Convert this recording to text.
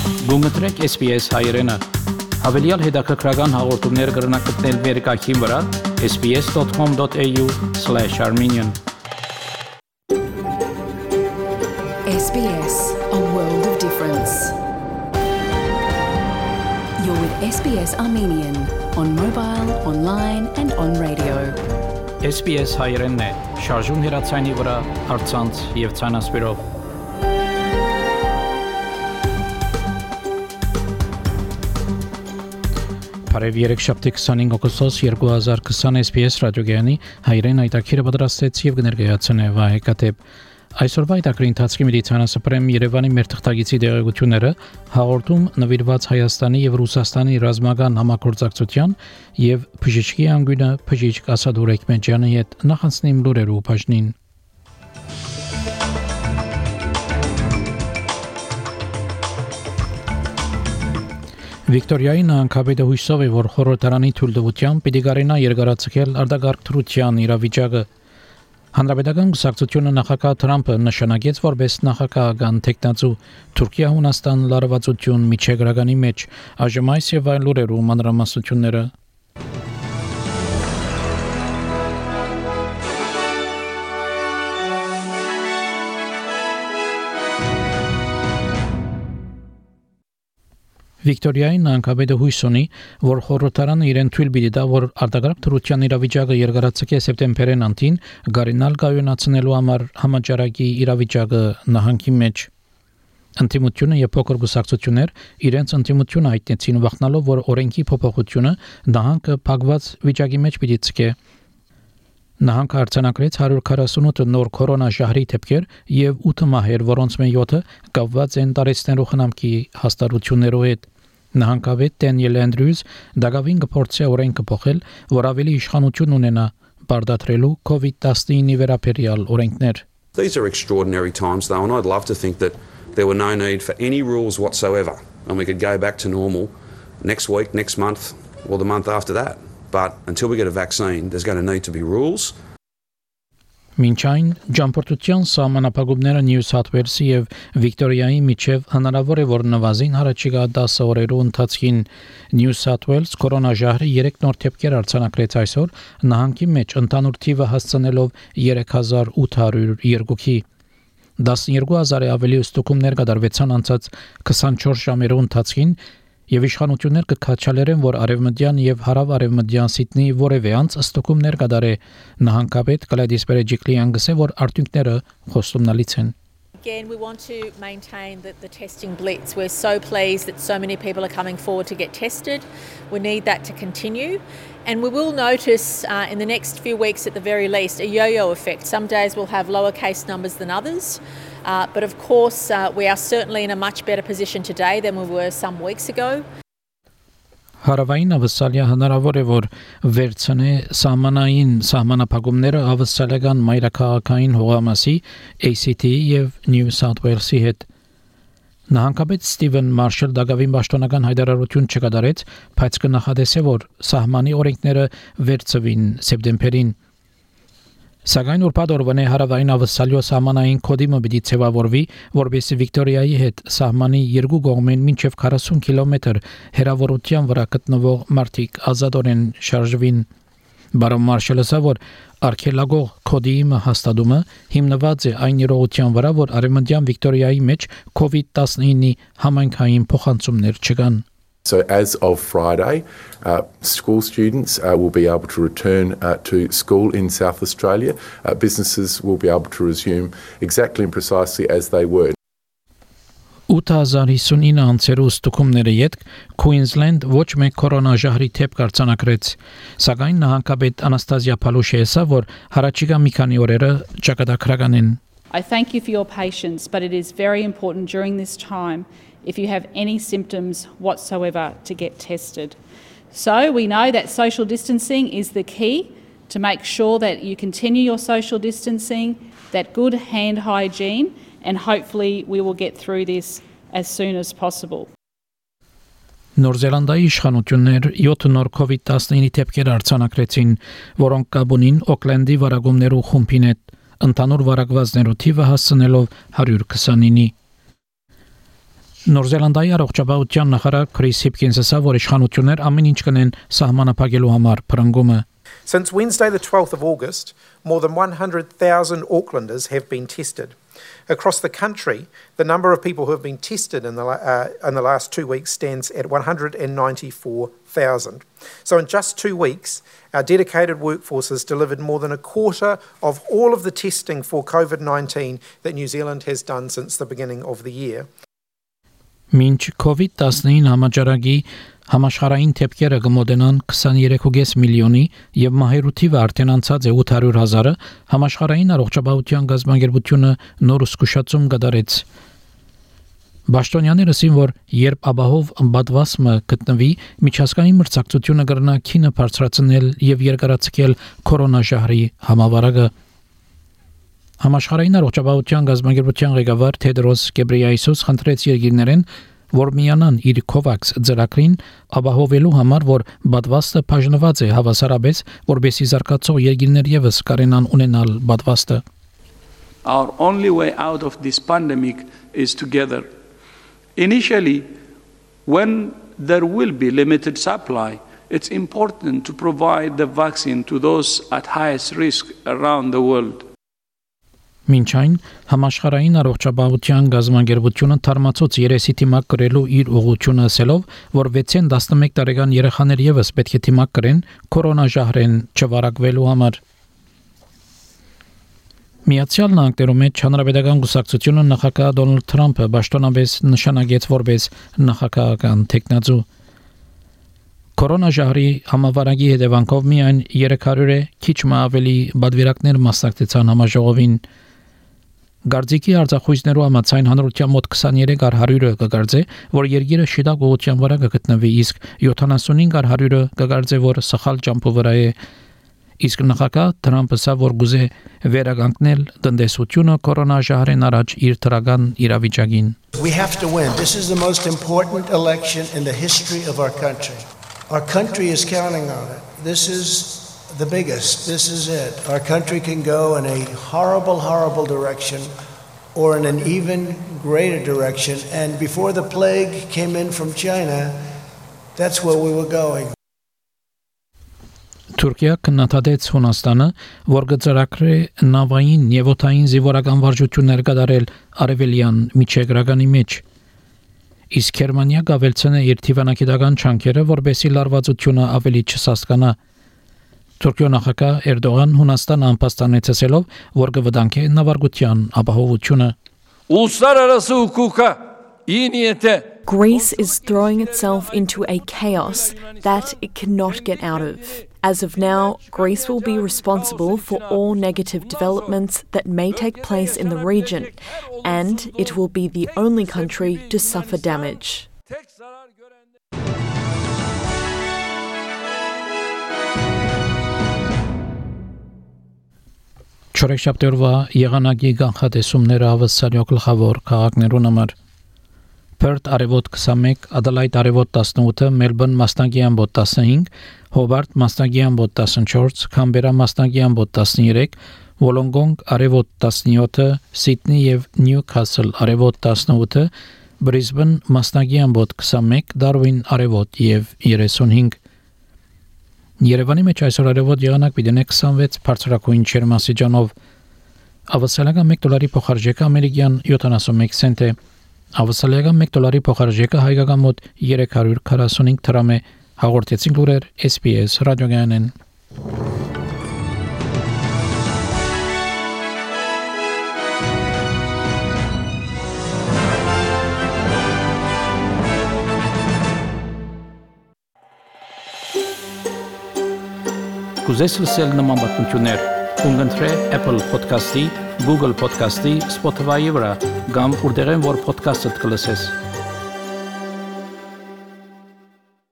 Գումտրեք SPS հայրենը, հավելյալ հետաքրքրական հաղորդումներ կրնակցնել վերկայքին վրա sbs.com.au/armenian SBS, a world of difference. You're with SBS Armenian on mobile, online and on radio. SPS հայրենն է, շարժուն հեռացանի վրա, առցանց եւ ցանասպիրով։ Բարև երեքշաբթի 25 օգոստոս 2020 SPS ռադիոգյանի հայրեն այտակիրը պատրաստեց եւ կներկայացնե Վահե Կատեփ։ Այսօրվա այտակրի ընթացքի մեդիցինասպրեմ Երևանի մեր թղթագիտի աջակցությունները հաղորդում նվիրված Հայաստանի եւ Ռուսաստանի ռազմական համագործակցության եւ բժշկի անգույնը բժիշկ Ասադ Ուրեքմեջյանի հետ նախանցնիմ լուրերու բաժնին։ Վիկտորիայի նահանգապետը հույսով է, որ խորհրդարանի թույլտվությամբ պիտի կարենա երկարացնել արտագաղթ թրության իրավիճակը։ Հանրապետական կուսակցությունը նախագահ Թրամփը նշանակեց որպես նախագահական տեխնացու Թուրքիա-Հունաստան լարվածություն միջերկրականի մեջ այժմ այս եւ այլ լուրերու մանրամասնությունները Վիկտորիայի նահանգապետը հույս ունի, որ խորհրդարանը իրեն թույլ պիտի տա, որ արտագաղթ թրության իրավիճակը երկարացկե սեպտեմբերին անտին գարինալ կայունացնելու համար համաճարակի իրավիճակը նահանգի մեջ։ Ընտիմությունը եւ փոքր կուսակցություններ իրենց ընտիմությունը հայտնեցին վախնալով, որ օրենքի փոփոխությունը նահանգը փակված վիճակի մեջ պիտի ցկե։ Նահանգը արձանագրեց 148 նոր կորոնաժահրի դեպքեր եւ 8 մահեր, որոնց մեկ 7-ը կապված են տարեցներու խնամքի հաստատություններով հետ։ Նահանգապետ Դենիել Անդրյուզ դակավին կփորձի օրենքը փոխել, որ ավելի իշխանություն ունենա բարդացրելու COVID-19-ի վերաբերյալ օրենքներ։ These are extraordinary times though, and I'd love to think that there were no need for any rules whatsoever and we could go back to normal next week, next month or the month after that. But until we get a vaccine, there's going to need to be rules. Մինչ այն ճամփորդության սահմանափակումները Նյու Սաութ Ուելսի եւ Վիկտորիայի միջև հնարավոր է որ նվազին հարաճիգա 10 օրերու ընթացքին Նյու Սաութ Ուելս կորոնաժահրի 3 նոր դեպքեր արձանագրեց այսօր նահանգի մեջ ընդհանուր թիվը հասցնելով 3802-ի 12000-ը ավելի ստուգումներ կատարվեցան անցած 24 ժամերու ընթացքին եւ իշխանություններ կքաչալերեն, որ արևմտյան եւ հարավ-արևմտյան Սիդնեի որևէ անց ստուգումներ կդարե նահանգապետ Գլադիս Բերեջիկլիան գսե, որ արդյունքները խոստումնալից են։ Again, we want to maintain the testing blitz. We're so pleased that so many people are coming forward to get tested. We need that to continue. And we will notice in the next few weeks at the very least a yo-yo effect. Some days we'll have lower case numbers than others. But of course, we are certainly in a much better position today than we were some weeks ago. Հարավային ավստրալիա հնարավոր է որ վերցնե սահմանափակումները ավստրալիական մայրաքաղաքային հողամասի ACT եւ New South Wales-ի հետ։ Նահանգապետ Ստիվեն Մարշալ դակավին պաշտոնական հայտարարություն չկատարեց, բայց կնախադեսե որ սահմանի օրենքները վերցվին սեպտեմբերին։ Սակայն ուրբաթ օրվանե հարավային ավստրալիա սահմանային կոդիմը պիտի ցեվավորվի, որովհետեւ Վիկտորիայի հետ սահմանի երկու կողմեն մինչև 40 կիլոմետր հեռավորության վրա գտնվող մարտիկ ազատորեն շարժվին։ Բարոն Մարշալը ասա, որ արգելագող կոդիմը հաստատումը հիմնված է այն իրողության վրա, որ արևմտյան Վիկտորիայի մեջ COVID-19-ի համայնքային փոխանցումներ չկան։ So as of Friday, school students will be able to return to school in South Australia. Businesses will be able to resume exactly and precisely as they were. 8059 անցերու ստուգումների յետք Queensland ոչ մեկ կորոնաժահրի դեպք արձանագրեց, սակայն նահանգապետ Անաստազիա Փալուշը ասա, որ հարաճիգա մի քանի օրերը ճակատագրական են։ I thank you for your patience, but it is very important during this time if you have any symptoms whatsoever to get tested. So we know that social distancing is the key to make sure that you continue your social distancing, that good hand hygiene, and hopefully we will get through this as soon as possible. Նոր Զելանդիայի իշխանություններ 7 նոր COVID-19 դեպքեր արձանագրեցին, որոնք կապ ունին Օքլենդի վարակումներու խումբին հետ, ընդհանուր վարակվածներու թիվը հասցնելով 129-ի։ Նոր Զելանդիայի առողջապահության նախարար Քրիս Հիփքինսը ասա, որ իշխանություններ ամեն ինչ կնեն սահմանափակելու համար փրկումը. Since Wednesday the 12th of August, more than 100,000 Aucklanders have been tested. Across the country, the number of people who have been tested in the last 2 weeks stands at 194,000. So in just 2 weeks, our dedicated workforce has delivered more than a quarter of all of the testing for COVID-19 that New Zealand has done since the beginning of the year. Մինչ COVID-19 համաճարակի համաշխարհային թեփքերը կմոտենան 23.5 միլիոնի եւ մահերու թիվը արդեն անցած է 800,000-ը, համաշխարհային առողջապահության գազագերբությունը նոր զգուշացում կդարեց. Բաշտոնյաները ասին, որ երբ ապահով ըմբատվասը գտնվի, միջազգային մրցակցությունը կգրնա քինը բարձրացնել եւ երկարացնել կորոնաժահրի համավարակը. Համաշխարհային առողջապահության գազագերբության ղեկավար Թեդրոս Գեբրեյեսուս խնդրեց երկիրներին, որ միանան իր COVAX ծրագրին ապահովելու համար, որ բադվաստը բաժնված է հավասարապես, որբեսի զարգացող երկիրներ եւս կարենան ունենալ բադվաստը. Our only way out of this pandemic is together. Initially, when there will be limited supply, it's important to provide the vaccine to those at highest risk around the world. Մինչ այն համաշխարհային առողջապահության գազագերբությունը թարմացուց երեսի թիմակ կրելու իր ուղղությունը ասելով, որ 6-ին 11 տարեկան երեխաներ եւս պետք է թիմակ կրեն կորոնաժահրեն չվարակվելու համար. Միացյալ Նահանգներում հանրապետական կուսակցությունը նախագահ Դոնալդ Թրամփը պաշտոնապես նշանակեց որպես նախագահական տեխնազու. Կորոնաժահրի համավարակի հետևանքով միայն 300-ը քիչ ավելի բادվիրակներ մասնակցեցան համաժողովին. Գարձիկի արձախույզներու համաձայն հանրության մոտ 23%-ը կգարձե, որ երկիրը շիտակ ուղղության վրա կգտնվի, իսկ 75%-ը կգարձե, որ սխալ ճամփու վրա է. Իսկ նախագահ Թրամփը ասա, որ գուզե վերականգնել տնտեսությունը կորոնաժահրեն առաջ իր թրական իրավիճակին. We have to win. This is the most important election in the history of our country. Our country is counting on it. This is the biggest. This is it. Our country can go in a horrible, horrible direction or in an even greater direction. And before the plague came in from China, that's where we were going. Թուրքիա կնատադեց Հունաստանը, որ գծրակրե նավային եւ օդային զինվորական վարժություններ կատարել արևելյան միջերկրականի մեջ. Իսկ Գերմանիա գավելցնե իր թիվանակետական չանքերը, որբեսի լարվածությունը ավելի չսասկանա. Թուրքիո նախագահ Էրդողան Հունաստանը անպաստանեց ասելով, որ կվտանգի նավարկության ապահովությունը. Uluslararası hukuka iyi niyete Greece is throwing itself into a chaos that it cannot get out of. As of now, Greece will be responsible for all negative developments that may take place in the region, and it will be the only country to suffer damage. Չորեքշաբթի եղանակի կանխատեսումները հավասարյո գլխավոր քաղաքներուն համար. Perth արևոտ 21, Adelaide արևոտ 18, Melbourne մասնագի ամբոտ 15, Hobart մասնագի ամբոտ 14, Canberra մասնագի ամբոտ 13, Wollongong արևոտ 17, Sydney եւ Newcastle արևոտ 18, Brisbane մասնագի ամբոտ 21, Darwin արևոտ եւ 35. Երևանի մեջ այսօր արևոտ եղանակ պիտի 26 բարձրակույն ջերմաստիճանով. ավասալական $1 փոխարժեքը ամերիկյան 71 سنت է. Ավասալական $1 փոխարժեքը հայկական մոտ 345 դրամ է. Հաղորդեցին լուրեր SPS ռադիոգայանեն. Կուզես լսել նման բանություններ, կընտրե Apple Podcast-ի, Google Podcast-ի, Spotify-ի վրա, կամ որտեղեն որ podcast-ը կլսես։